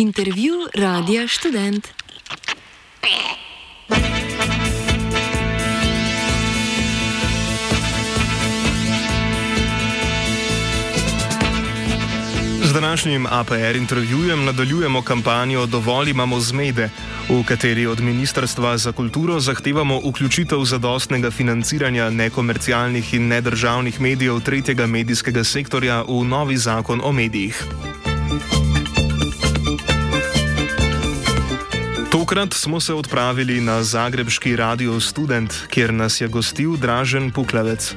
Intervju Radia Študent. Z današnjim APR intervjujem nadaljujemo kampanjo Dovolj imamo zmede, v kateri od Ministrstva za kulturo zahtevamo vključitev zadostnega financiranja nekomercialnih in nedržavnih medijev tretjega medijskega sektorja v novi zakon o medijih. Tokrat smo se odpravili na zagrebški Radio Student, kjer nas je gostil Dražen Puklavec.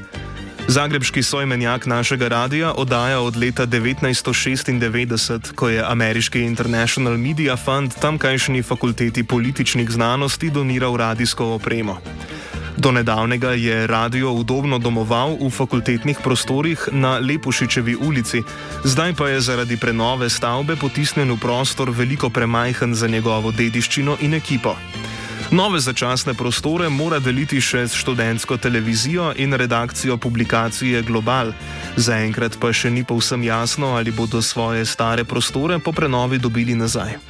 Zagrebški soimenjak našega radia oddaja od leta 1996, ko je ameriški International Media Fund tamkajšnji fakulteti političnih znanosti doniral radijsko opremo. Do nedavnega je radio udobno domoval v fakultetnih prostorih na Lepušičevi ulici, zdaj pa je zaradi prenove stavbe potisnjen v prostor veliko premajhen za njegovo dediščino in ekipo. Nove začasne prostore mora deliti še s študentsko televizijo in redakcijo publikacije Global. Zaenkrat pa še ni povsem jasno, ali bodo svoje stare prostore po prenovi dobili nazaj.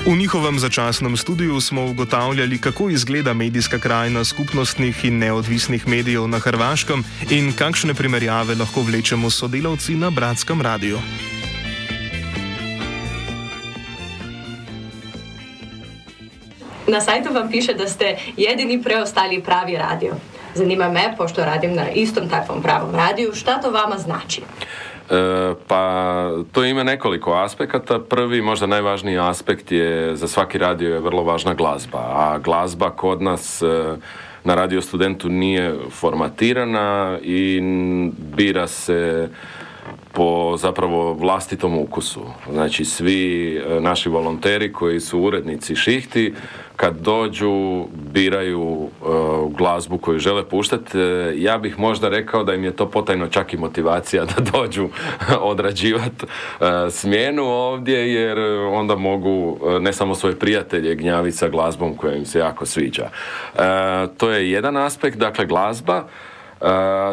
V njihovem začasnem studiu smo ugotavljali, kako izgleda medijska krajina skupnostnih in neodvisnih medijev na Hrvaškem in kakšne primerjave lahko vlečemo s sodelavci na Bratskem radiju. Na sajtu vam piše, da ste jedini preostali pravi radio. Zanima me, pošto radim na istom takvom pravom radiju, šta to vama znači? Pa to ima nekoliko aspekata. Prvi, možda najvažniji aspekt je, za svaki radio je vrlo važna glazba, a glazba kod nas na Radio Studentu nije formatirana i bira se po zapravo vlastitom ukusu. Znači svi naši volonteri koji su urednici šihti, kad dođu, biraju glazbu koju žele puštati. Ja bih možda rekao da im je to potajno čak i motivacija da dođu odrađivati smjenu ovdje, jer onda mogu ne samo svoje prijatelje gnjaviti sa glazbom koja im se jako sviđa. To je jedan aspekt, dakle glazba.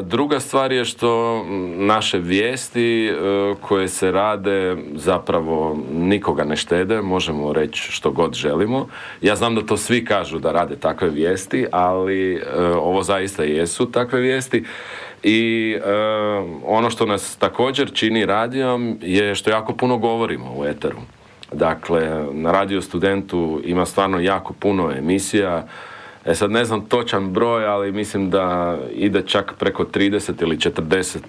Druga stvar je što naše vijesti koje se rade zapravo nikoga ne štede, možemo reći što god želimo. Ja znam da to svi kažu da rade takve vijesti, ali ovo zaista jesu takve vijesti. I ono što nas također čini radijom je što jako puno govorimo u eteru. Dakle, na Radio Studentu ima stvarno jako puno emisija. Sad ne znam točan broj, ali mislim da ide čak preko 30 ili 40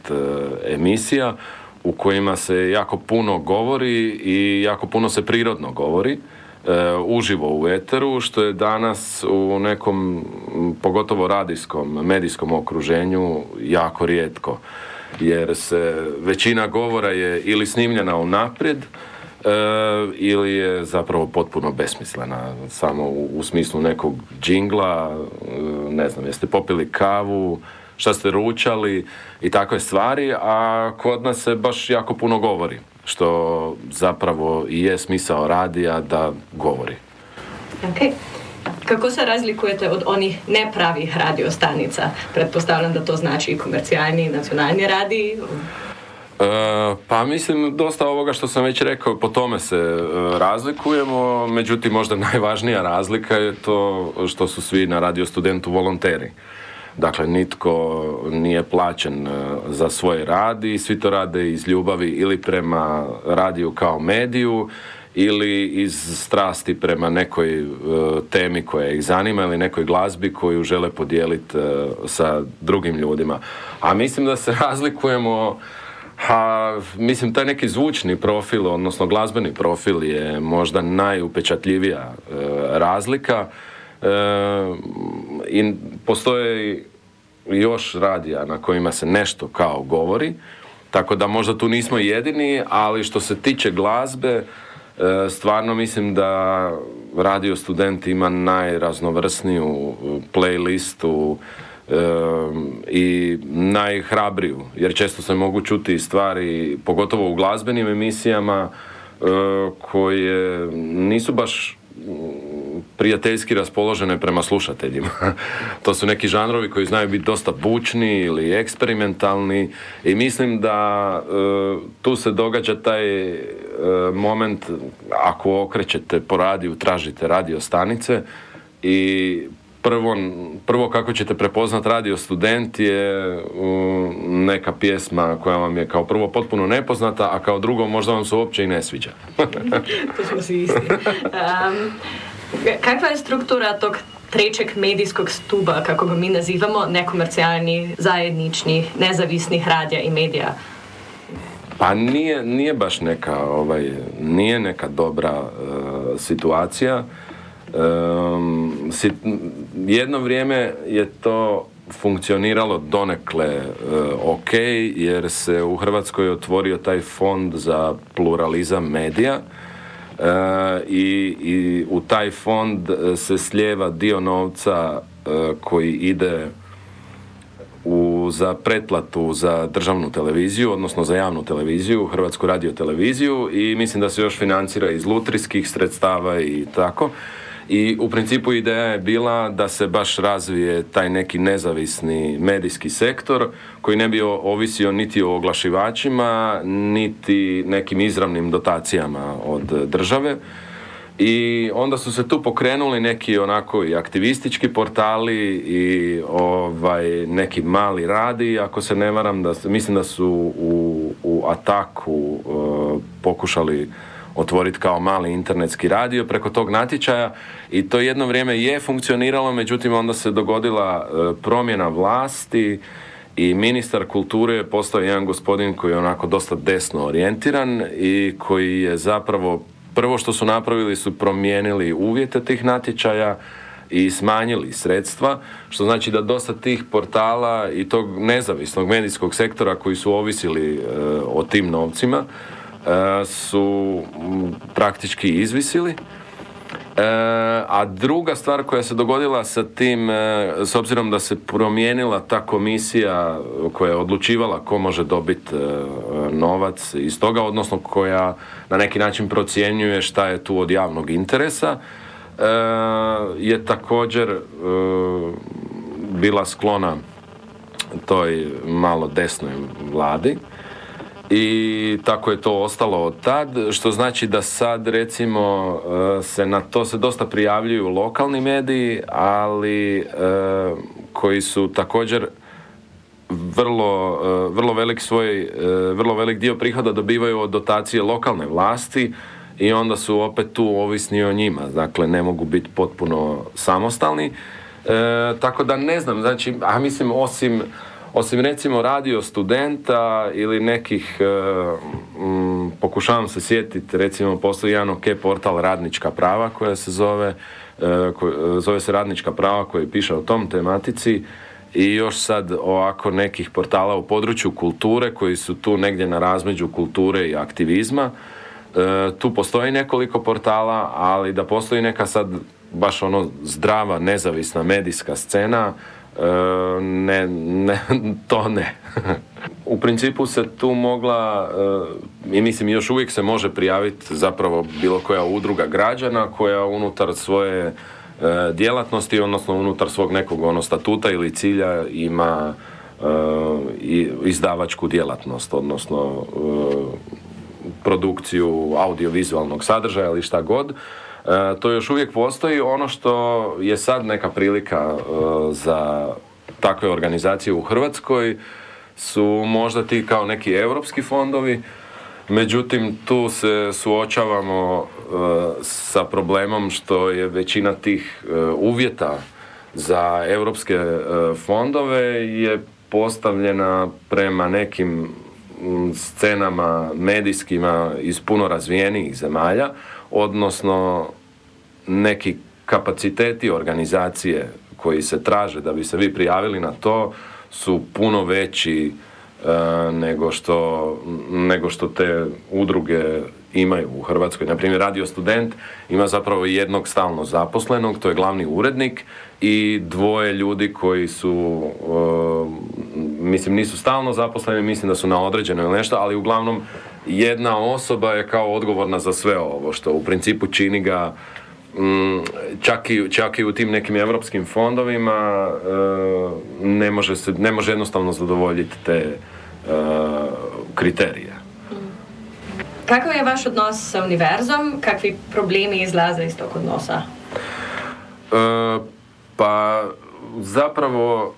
emisija u kojima se jako puno govori i jako puno se prirodno govori, uživo u eteru, što je danas u nekom, pogotovo radijskom, medijskom okruženju jako rijetko. Jer se većina govora je ili snimljena unaprijed, ili je zapravo potpuno besmislena, samo u smislu nekog džingla, ne znam, jeste popili kavu, šta ste ručali i takve stvari, a kod nas se baš jako puno govori, što zapravo i je smisao radija da govori. Okay. Kako se razlikujete od onih nepravih radiostanica? Pretpostavljam da to znači i komercijalni i nacionalni radiji. Pa mislim, dosta ovoga što sam već rekao, po tome se razlikujemo, međutim možda najvažnija razlika je to što su svi na Radio Studentu volonteri. Dakle, nitko nije plaćen za svoj rad i svi to rade iz ljubavi ili prema radiju kao mediju ili iz strasti prema nekoj temi koja ih zanima ili nekoj glazbi koju žele podijeliti sa drugim ljudima. A mislim da se razlikujemo. Mislim, taj neki zvučni profil, odnosno glazbeni profil je možda najupečatljivija razlika i postoje još radija na kojima se nešto kao govori, tako da možda tu nismo jedini, ali što se tiče glazbe, stvarno mislim da Radio Student ima najraznovrsniju playlistu i najhrabriju, jer često se mogu čuti stvari, pogotovo u glazbenim emisijama, koje nisu baš prijateljski raspoložene prema slušateljima. To su neki žanrovi koji znaju biti dosta bučni ili eksperimentalni i mislim da tu se događa taj moment, ako okrećete po radiju, tražite radio stanice i prvo kako ćete prepoznat Radio Student je neka pjesma koja vam je kao prvo potpuno nepoznata, a kao drugo možda vam se uopće i ne sviđa. To smo si isti. Kakva je struktura tog trećeg medijskog stuba, kako ga mi nazivamo, nekomercijalnih, zajedničnih, nezavisnih radija i medija? Pa nije baš neka, nije neka dobra situacija. Jedno vrijeme je to funkcioniralo donekle ok, jer se u Hrvatskoj otvorio taj fond za pluralizam medija i u taj fond se slijeva dio novca koji ide za pretplatu za državnu televiziju, odnosno za javnu televiziju, Hrvatsku radioteleviziju, i mislim da se još financira iz lutrijskih sredstava i tako. I u principu ideja je bila da se baš razvije taj neki nezavisni medijski sektor koji ne bi ovisio niti o oglašivačima, niti nekim izravnim dotacijama od države. I onda su se tu pokrenuli neki onako i aktivistički portali i neki mali radiji, ako se ne varam, mislim da su u Ataku pokušali otvoriti kao mali internetski radio preko tog natječaja i to jedno vrijeme je funkcioniralo, međutim onda se dogodila promjena vlasti i ministar kulture je postao jedan gospodin koji je onako dosta desno orijentiran i koji je zapravo prvo što su napravili su promijenili uvjete tih natječaja i smanjili sredstva, što znači da dosta tih portala i tog nezavisnog medijskog sektora koji su ovisili o tim novcima su praktički izvisili. A druga stvar koja se dogodila sa tim, s obzirom da se promijenila ta komisija koja je odlučivala ko može dobiti novac iz toga, odnosno koja na neki način procjenjuje šta je tu od javnog interesa, je također bila sklona toj malo desnoj vladi. I tako je to ostalo od tad, što znači da sad recimo se na to se dosta prijavljuju lokalni mediji, ali koji su također vrlo velik dio prihoda dobivaju od dotacije lokalne vlasti i onda su opet tu ovisni o njima, dakle ne mogu biti potpuno samostalni. Tako da ne znam, znači, mislim osim recimo Radio Studenta ili nekih, pokušavam se sjetiti, recimo postoji jedan ok portal Radnička prava koja se zove se Radnička prava, koji piše o tom tematici, i još sad ovako nekih portala u području kulture koji su tu negdje na razmeđu kulture i aktivizma. Tu postoji nekoliko portala, ali da postoji neka sad baš zdrava, nezavisna medijska scena, to ne. U principu se tu mogla, i mislim još uvijek se može prijaviti zapravo bilo koja udruga građana koja unutar svoje djelatnosti, odnosno unutar svog nekog statuta ili cilja ima izdavačku djelatnost, odnosno produkciju audiovizualnog sadržaja ili šta god. To još uvijek postoji. Ono što je sad neka prilika za takve organizacije u Hrvatskoj su možda ti kao neki europski fondovi, međutim tu se suočavamo sa problemom što je većina tih uvjeta za europske fondove je postavljena prema nekim scenama medijskima iz puno razvijenijih zemalja, odnosno neki kapaciteti organizacije koji se traže da bi se vi prijavili na to su puno veći nego što te udruge imaju u Hrvatskoj. Naprimjer, Radio Student ima zapravo jednog stalno zaposlenog, to je glavni urednik, i dvoje ljudi koji su, nisu stalno zaposleni, mislim da su na određeno ili nešto, ali uglavnom jedna osoba je kao odgovorna za sve ovo, što u principu čini ga čak i u tim nekim europskim fondovima ne može jednostavno zadovoljiti te kriterije. Kakav je vaš odnos sa univerzom? Kakvi problemi izlaze iz tog odnosa? Pa zapravo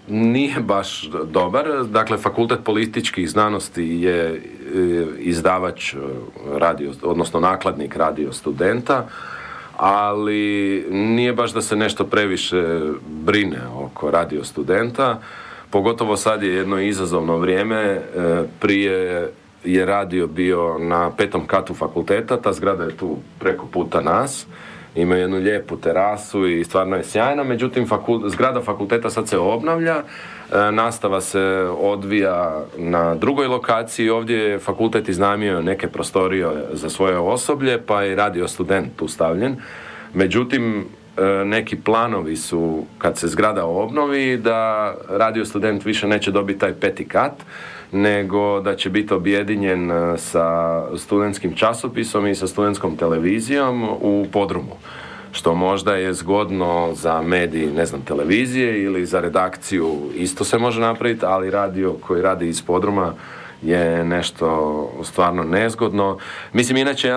nije baš dobar. Dakle, Fakultet političkih znanosti je izdavač odnosno nakladnik Radio Studenta, ali nije baš da se nešto previše brine oko Radio Studenta. Pogotovo sad je jedno izazovno vrijeme. Prije je radio bio na 5. katu fakulteta, ta zgrada je tu preko puta nas. Ima jednu lijepu terasu i stvarno je sjajna, međutim zgrada fakulteta sad se obnavlja, nastava se odvija na drugoj lokaciji, ovdje je fakultet iznajmio neke prostorije za svoje osoblje, pa je Radio Student tu stavljen. Međutim, neki planovi su, kad se zgrada obnovi, da Radio Student više neće dobiti taj 5. kat, nego da će biti objedinjen sa studentskim časopisom i sa studentskom televizijom u podrumu. Što možda je zgodno za medij, televizije ili za redakciju isto se može napraviti, ali radio koji radi iz podruma je nešto stvarno nezgodno. Mislim, inače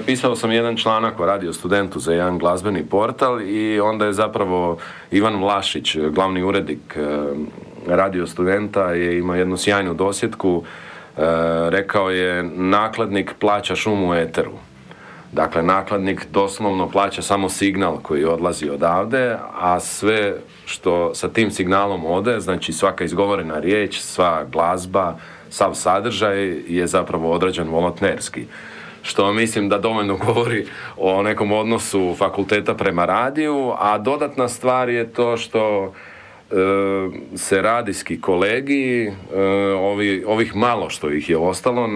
pisao sam jedan članak o Radio Studentu za jedan glazbeni portal i onda je zapravo Ivan Vlašić, glavni urednik Radio Studenta, je imao jednu sjajnu dosjetku. Rekao je, nakladnik plaća šum u eteru. Dakle, nakladnik doslovno plaća samo signal koji odlazi odavde, a sve što sa tim signalom ode, znači svaka izgovorena riječ, sva glazba, sav sadržaj je zapravo odrađen volonterski. Što mislim da dovoljno govori o nekom odnosu fakulteta prema radiju, a dodatna stvar je to što se radijski kolegiji, ovih malo što ih je ostalo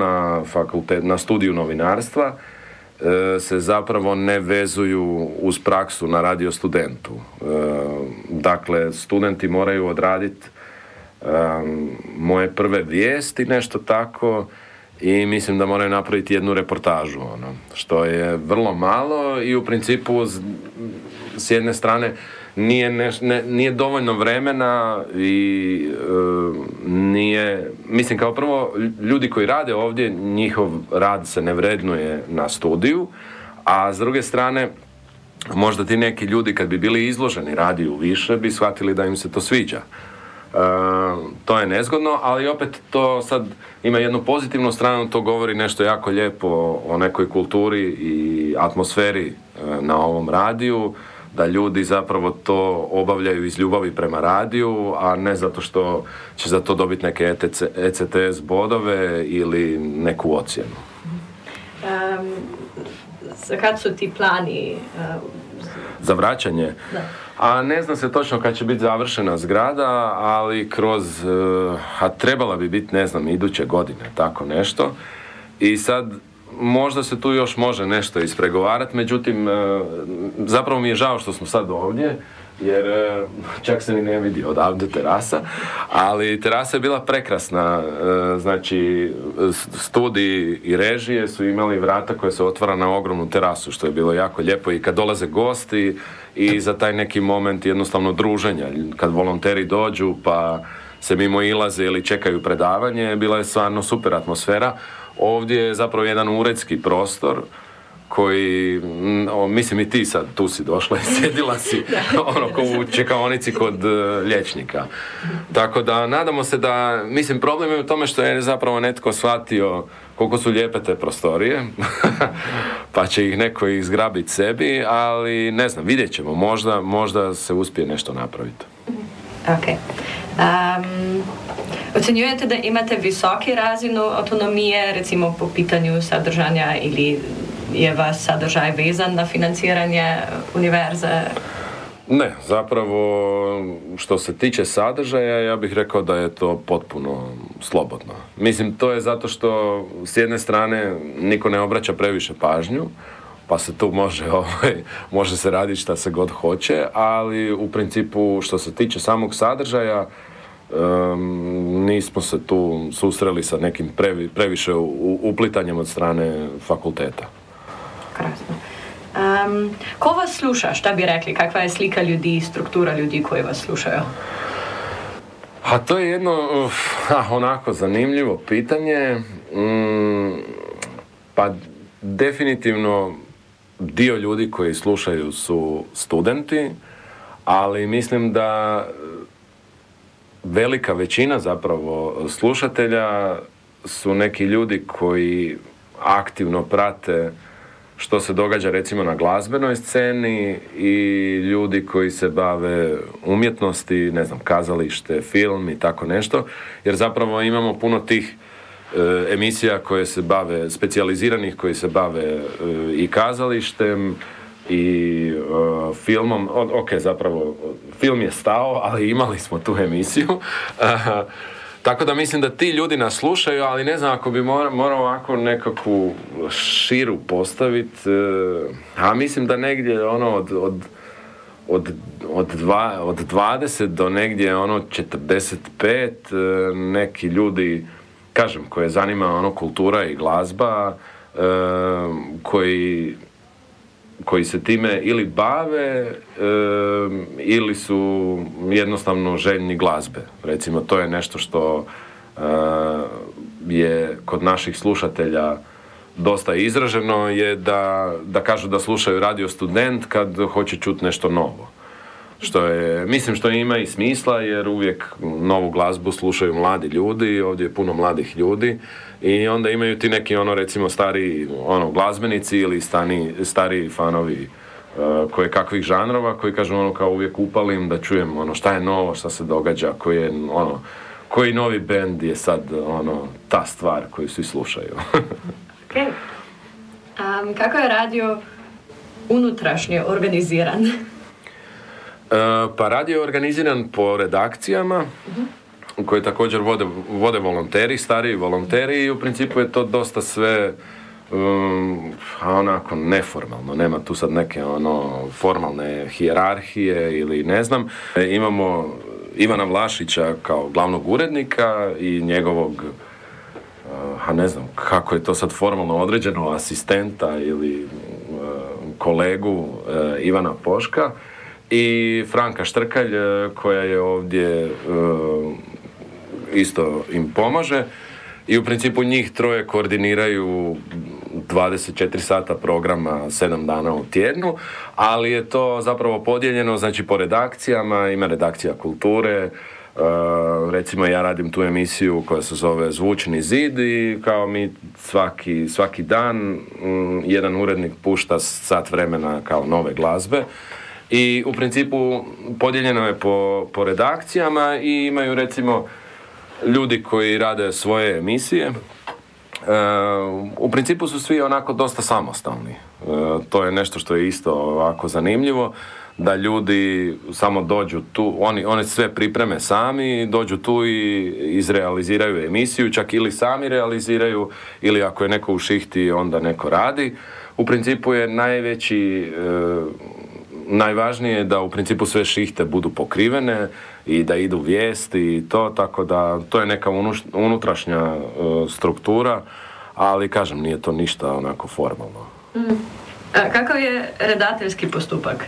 na studiju novinarstva, se zapravo ne vezuju uz praksu na Radio Studentu. Dakle, studenti moraju odraditi moje prve vijesti, nešto tako, i mislim da moraju napraviti jednu reportažu, što je vrlo malo i u principu s jedne strane nije dovoljno vremena i nije, mislim, kao prvo, ljudi koji rade ovdje, njihov rad se ne vrednuje na studiju, a s druge strane možda ti neki ljudi kad bi bili izloženi radiju više bi shvatili da im se to sviđa. To je nezgodno, ali opet to sad ima jednu pozitivnu stranu, to govori nešto jako lijepo o nekoj kulturi i atmosferi na ovom radiju, da ljudi zapravo to obavljaju iz ljubavi prema radiju, a ne zato što će za to dobiti neke ECTS bodove ili neku ocjenu. Kad su ti plani? Za vraćanje? Da. A ne znam se točno kad će biti završena zgrada, ali a trebala bi biti, iduće godine, tako nešto. I sad možda se tu još može nešto ispregovarati, međutim, zapravo mi je žao što smo sad ovdje, jer čak se ni ne vidi odavde terasa, ali terasa je bila prekrasna, znači studiji i režije su imali vrata koje se otvara na ogromnu terasu, što je bilo jako lijepo i kad dolaze gosti i za taj neki moment jednostavno druženja, kad volonteri dođu pa se mimo ilaze ili čekaju predavanje, bila je stvarno super atmosfera. Ovdje je zapravo jedan uredski prostor koji, mislim i ti sad tu si došla i sjedila si ko u čekaonici kod liječnika. Tako da nadamo se da, mislim, problem je u tome što je zapravo netko shvatio koliko su lijepe te prostorije, pa će ih neko izgrabiti sebi, ali ne znam, vidjet ćemo, možda se uspije nešto napraviti. Ok. Ocenjujete da imate visoki razinu autonomije, recimo po pitanju sadržanja, ili je vaš sadržaj vezan na financiranje univerze? Ne, zapravo što se tiče sadržaja, ja bih rekao da je to potpuno slobodno. Mislim, to je zato što s jedne strane niko ne obraća previše pažnju, pa se tu može se raditi šta se god hoće, ali u principu što se tiče samog sadržaja, nismo se tu susreli sa nekim previše uplitanjem od strane fakulteta. Krasno. Ko vas sluša? Šta bi rekli? Kakva je slika ljudi, struktura ljudi koji vas slušaju? A to je jedno onako zanimljivo pitanje. Pa definitivno dio ljudi koji slušaju su studenti, ali mislim da velika većina zapravo slušatelja su neki ljudi koji aktivno prate što se događa recimo na glazbenoj sceni i ljudi koji se bave umjetnosti, ne znam, kazalište, film i tako nešto, jer zapravo imamo puno tih emisija koje se bave, specijaliziranih koji se bave i kazalištem i filmom. Zapravo film je stao, ali imali smo tu emisiju. Tako da mislim da ti ljudi nas slušaju, ali ne znam, ako bi morao ovako nekakvu širu postaviti, a mislim da negdje ono od 20 do negdje ono 45 neki ljudi, kažem, koje zanima ono kultura i glazba, koji se time ili bave ili su jednostavno željni glazbe. Recimo, to je nešto što je kod naših slušatelja dosta izraženo, je da kažu da slušaju Radio Student kad hoće čuti nešto novo. Mislim što ima i smisla, jer uvijek novu glazbu slušaju mladi ljudi, ovdje je puno mladih ljudi i onda imaju ti neki recimo stariji glazbenici ili stariji fanovi koje kakvih žanrova koji kažu kao uvijek upalim da čujem šta je novo, šta se događa, koji novi bend je sad ta stvar koju svi slušaju. Okay. Kako je radio unutrašnje organiziran? Pa radio je organiziran po redakcijama koje također vode volonteri, stariji volonteri, i u principu je to dosta sve onako neformalno. Nema tu sad neke formalne hijerarhije ili ne znam. Imamo Ivana Vlašića kao glavnog urednika i njegovog, ne znam kako je to sad formalno određeno, asistenta ili kolegu Ivana Poška i Franka Štrkalj koja je ovdje isto im pomaže, i u principu njih troje koordiniraju 24 sata programa 7 dana u tjednu, ali je to zapravo podijeljeno znači po redakcijama. Ima redakcija kulture, recimo ja radim tu emisiju koja se zove Zvučni zid i kao mi svaki dan jedan urednik pušta sat vremena kao nove glazbe. I u principu podijeljeno je po redakcijama i imaju recimo ljudi koji rade svoje emisije. U principu su svi onako dosta samostalni. To je nešto što je isto ovako zanimljivo, da ljudi samo dođu tu, oni sve pripreme sami, dođu tu i izrealiziraju emisiju, čak ili sami realiziraju, ili ako je neko u šihti onda neko radi. U principu je najvažnije je da u principu sve šihte budu pokrivene i da idu vijesti i to, tako da to je neka unutrašnja struktura, ali kažem, nije to ništa onako formalno. Kakav je redateljski postupak?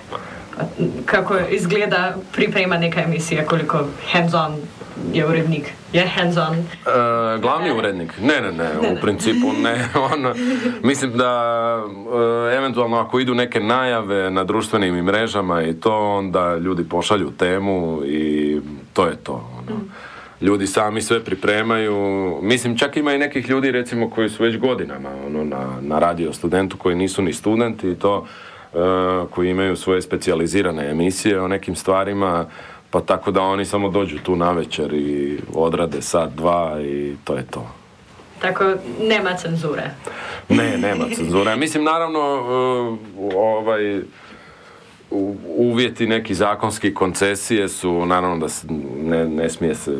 Kako izgleda priprema neka emisija, koliko hands-on je urednik? Je hands-on? Glavni urednik? Ne, u principu ne. Mislim da eventualno ako idu neke najave na društvenim mrežama i to, onda ljudi pošalju temu i to je to. Ljudi sami sve pripremaju. Mislim, čak ima i nekih ljudi recimo koji su već godinama na Radio Studentu, koji nisu ni studenti i to, koji imaju svoje specijalizirane emisije o nekim stvarima, pa tako da oni samo dođu tu navečer i odrade sat, dva i to je to. Tako nema cenzure? Ne, nema cenzure. Mislim, naravno, uvjeti neki zakonski koncesije su, naravno da ne smije se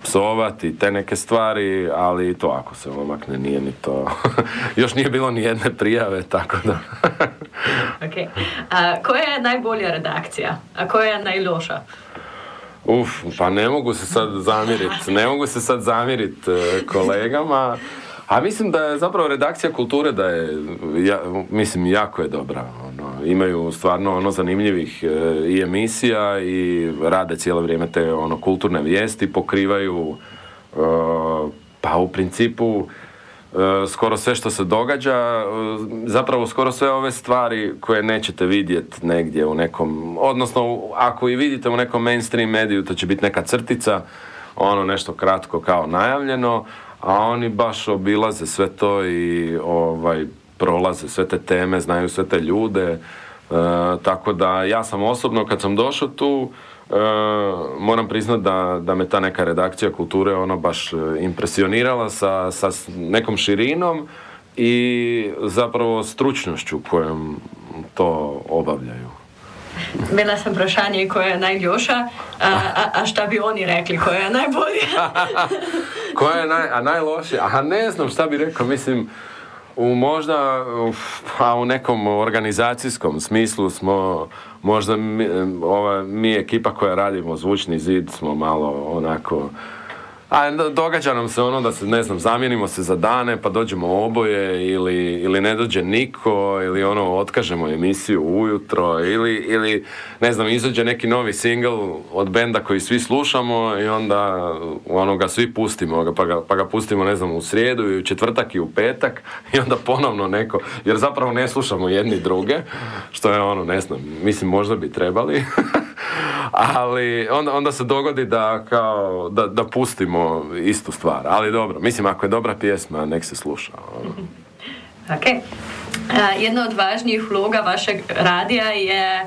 psovati te neke stvari, ali to ako se omakne nije ni to. Još nije bilo ni jedne prijave, tako da. Okay. Koja je najbolja redakcija, a koja je najloša? Pa ne mogu se sad zamjeriti kolegama. A mislim da je zapravo redakcija kulture da je, mislim, jako je dobra. imaju stvarno zanimljivih i emisija i rade cijelo vrijeme te kulturne vijesti, pokrivaju pa u principu skoro sve što se događa, zapravo skoro sve ove stvari koje nećete vidjeti negdje u nekom, odnosno ako i vidite u nekom mainstream mediju, to će biti neka crtica, nešto kratko kao najavljeno, a oni baš obilaze sve to i prolaze sve te teme, znaju sve te ljude, tako da ja sam osobno kad sam došao tu, moram priznati da me ta neka redakcija kulture baš impresionirala sa nekom širinom i zapravo stručnošću kojom to obavljaju. Bila sam vprašanje koja je najljoša, a šta bi oni rekli, koja je najbolja? Koja je najlošija? A ne znam šta bi rekao, mislim, u nekom organizacijskom smislu smo, možda mi ekipa koja radimo Zvučni zid smo malo onako, događa nam se da se, ne znam, zamijenimo se za dane pa dođemo oboje ili ne dođe niko ili otkažemo emisiju ujutro ili ne znam, izađe neki novi single od benda koji svi slušamo i onda ga svi pustimo pa ga pustimo, ne znam, u srijedu i u četvrtak i u petak i onda ponovno neko, jer zapravo ne slušamo jedni druge, što je ne znam, mislim možda bi trebali ali onda se dogodi da pustimo istu stvar, ali dobro, mislim ako je dobra pjesma, nek se sluša. Ok. Jedna od važnijih uloga vašeg radija je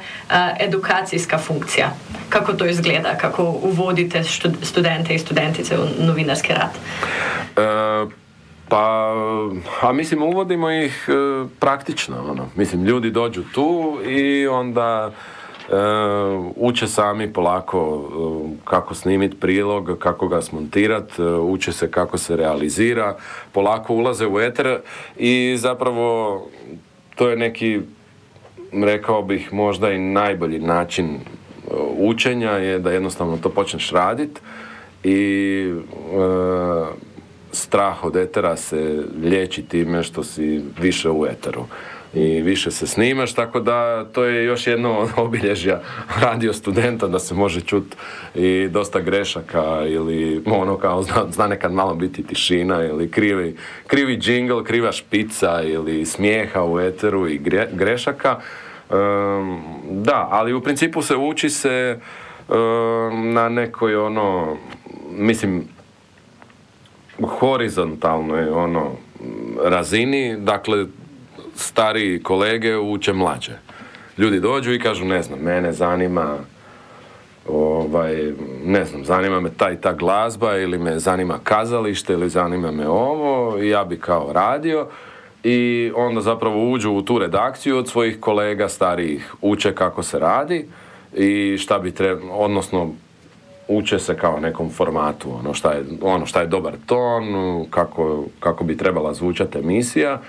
edukacijska funkcija. Kako to izgleda? Kako uvodite studente i studentice u novinarski rad? Mislim, uvodimo ih praktično. Mislim, ljudi dođu tu i onda uče sami polako kako snimiti prilog, kako ga smontirati, uče se kako se realizira, polako ulaze u eter i zapravo to je neki, rekao bih, možda i najbolji način učenja je da jednostavno to počneš raditi i strah od etera se liječi time što si više u eteru i više se snimaš, tako da to je još jedno od obilježja radio studenta, da se može čuti i dosta grešaka ili kao zna nekad malo biti tišina ili krivi džingl, kriva špica ili smijeha u eteru i grešaka. Da, ali u principu se uči se na nekoj mislim horizontalnoj razini, dakle stariji kolege uče mlađe. Ljudi dođu i kažu, ne znam, mene zanima ne znam, zanima me ta i ta glazba ili me zanima kazalište ili zanima me ovo i ja bi kao radio i onda zapravo uđu u tu redakciju od svojih kolega starijih, uče kako se radi i šta bi odnosno uče se kao nekom formatu, šta je dobar ton, kako bi trebala zvučati emisija,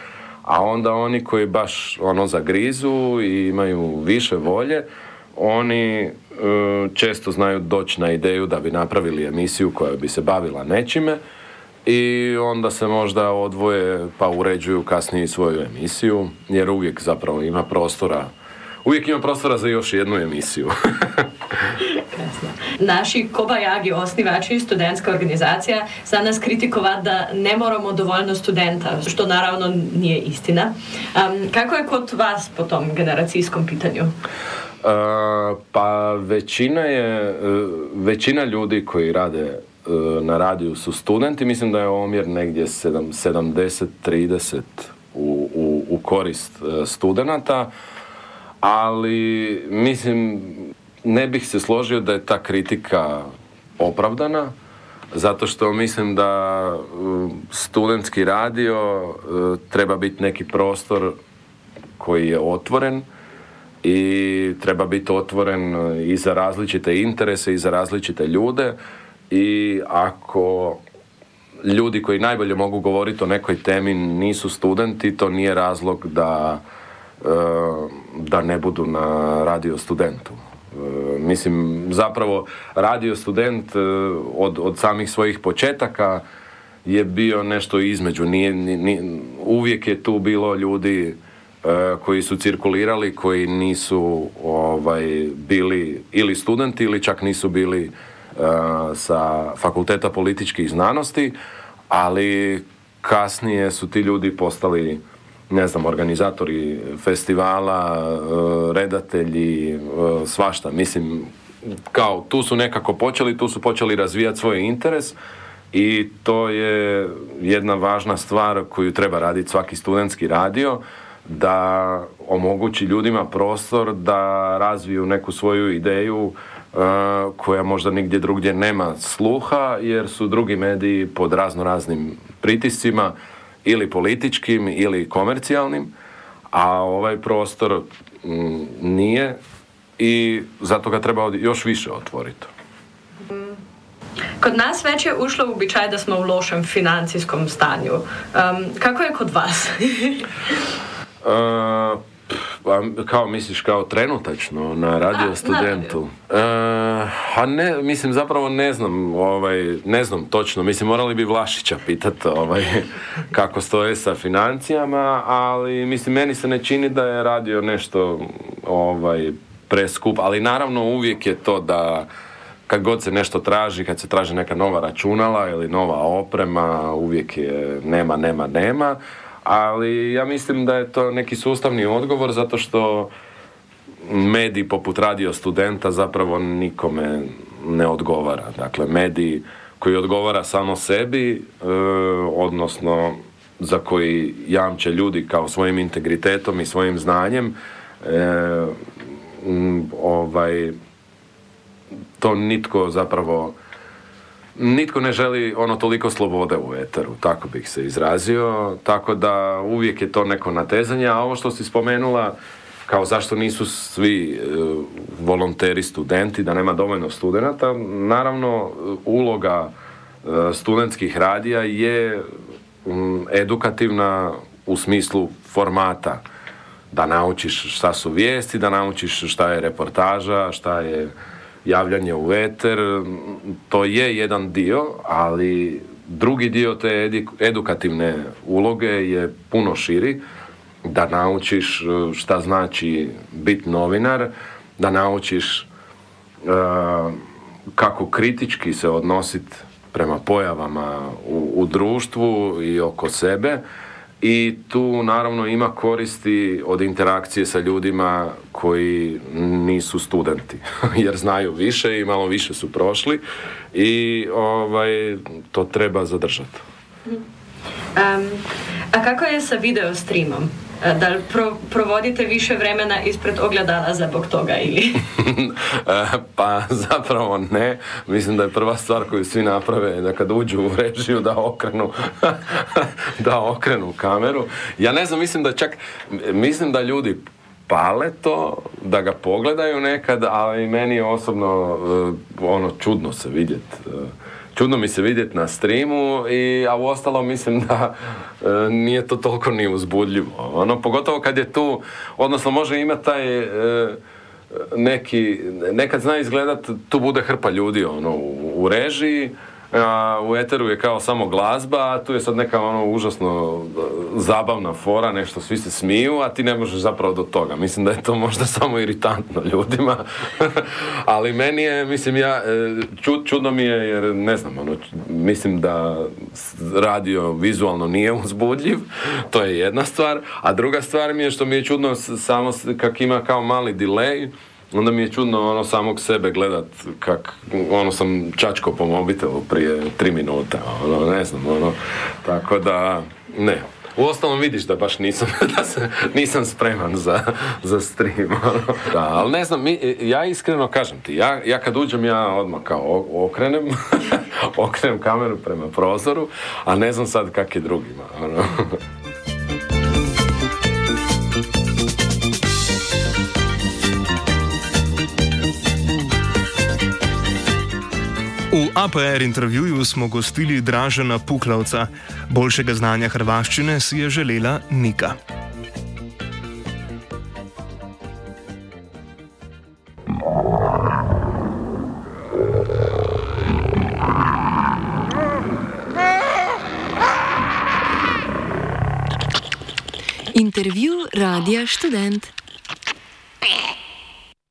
a onda oni koji baš zagrizu i imaju više volje, oni često znaju doći na ideju da bi napravili emisiju koja bi se bavila nečime i onda se možda odvoje pa uređuju kasnije svoju emisiju, jer uvijek zapravo ima prostora za još jednu emisiju. Naši kobajagi, osnivači, studentska organizacija, za nas kritikovat da ne moramo dovoljno studenta, što naravno nije istina. Kako je kod vas po tom generacijskom pitanju? Pa većina ljudi koji rade na radiju su studenti, mislim da je omjer negdje 70-30 u korist studenata, ali mislim ne bih se složio da je ta kritika opravdana, zato što mislim da studentski radio treba biti neki prostor koji je otvoren i treba biti otvoren i za različite interese i za različite ljude i ako ljudi koji najbolje mogu govoriti o nekoj temi nisu studenti, to nije razlog da ne budu na Radio Studentu. Mislim, zapravo Radio Student od samih svojih početaka je bio nešto između. Uvijek je tu bilo ljudi koji su cirkulirali, koji nisu bili ili studenti ili čak nisu bili sa Fakulteta političkih znanosti, ali kasnije su ti ljudi postali, ne znam, organizatori festivala, redatelji, svašta. Mislim, kao tu su nekako počeli razvijati svoj interes i to je jedna važna stvar koju treba raditi svaki studentski radio, da omogući ljudima prostor da razviju neku svoju ideju koja možda nigdje drugdje nema sluha, jer su drugi mediji pod raznim pritiscima, ili političkim ili komercijalnim, a ovaj prostor nije i zato ga treba još više otvoriti. Kod nas već je ušlo u običaj da smo u lošem financijskom stanju. Kako je kod vas? Kao misliš, kao trenutačno na Radio Studentu? Ne, mislim, zapravo ne znam točno. Mislim, morali bi Vlašića pitati kako stoje sa financijama, ali mislim, meni se ne čini da je radio nešto preskup, ali naravno uvijek je to da kad god se nešto traži, kad se traži neka nova računala ili nova oprema, uvijek je nema. Ali ja mislim da je to neki sustavni odgovor, zato što medij poput Radio Studenta zapravo nikome ne odgovara. Dakle, medij koji odgovara samo sebi, odnosno za koji jamče ljudi kao svojim integritetom i svojim znanjem, to nitko ne želi toliko slobode u eteru, tako bih se izrazio, tako da uvijek je to neko natezanje, a ovo što si spomenula, kao zašto nisu svi volonteri studenti, da nema dovoljno studenata, naravno uloga studentskih radija je edukativna u smislu formata, da naučiš šta su vijesti, da naučiš šta je reportaža, šta je javljanje u eter, to je jedan dio, ali drugi dio te edukativne uloge je puno širi, da naučiš šta znači biti novinar, da naučiš kako kritički se odnositi prema pojavama u društvu i oko sebe. I tu naravno ima koristi od interakcije sa ljudima koji nisu studenti, jer znaju više i malo više su prošli i to treba zadržati. A kako je sa video streamom? Da li provodite više vremena ispred ogledala zbog toga ili? Pa zapravo ne. Mislim da je prva stvar koju svi naprave da kad uđu u režiju da okrenu kameru. Ja ne znam, mislim da ljudi pale to, da ga pogledaju nekad, ali meni je osobno čudno se vidjeti. Čudno mi se vidjeti na streamu, a uostalom mislim da nije to toliko ni uzbudljivo. Pogotovo kad je tu, odnosno može imati taj nekad zna izgledat, tu bude hrpa ljudi u režiji, a u eteru je kao samo glazba, a tu je sad neka užasno zabavna fora, nešto svi se smiju, a ti ne možeš zapravo do toga. Mislim da je to možda samo iritantno ljudima, ali meni je, čudno mi je, jer ne znam, mislim da radio vizualno nije uzbudljiv, to je jedna stvar, a druga stvar mi je što mi je čudno samo kak ima kao mali delay, onda mi je čudno samog sebe gledat kak sam čačko po mobitelu prije 3 minuta, ne znam, tako da, ne. Uostalom vidiš da baš nisam spreman za stream, Da, ali ne znam, ja iskreno kažem ti, ja kad uđem, ja odmah kao okrenem kameru prema prozoru, a ne znam sad kak je drugima, V APR intervjuju smo gostili Dražena Puklavca. Boljšega znanja hrvaščine si je želela Nika. Intervju Radia Študent.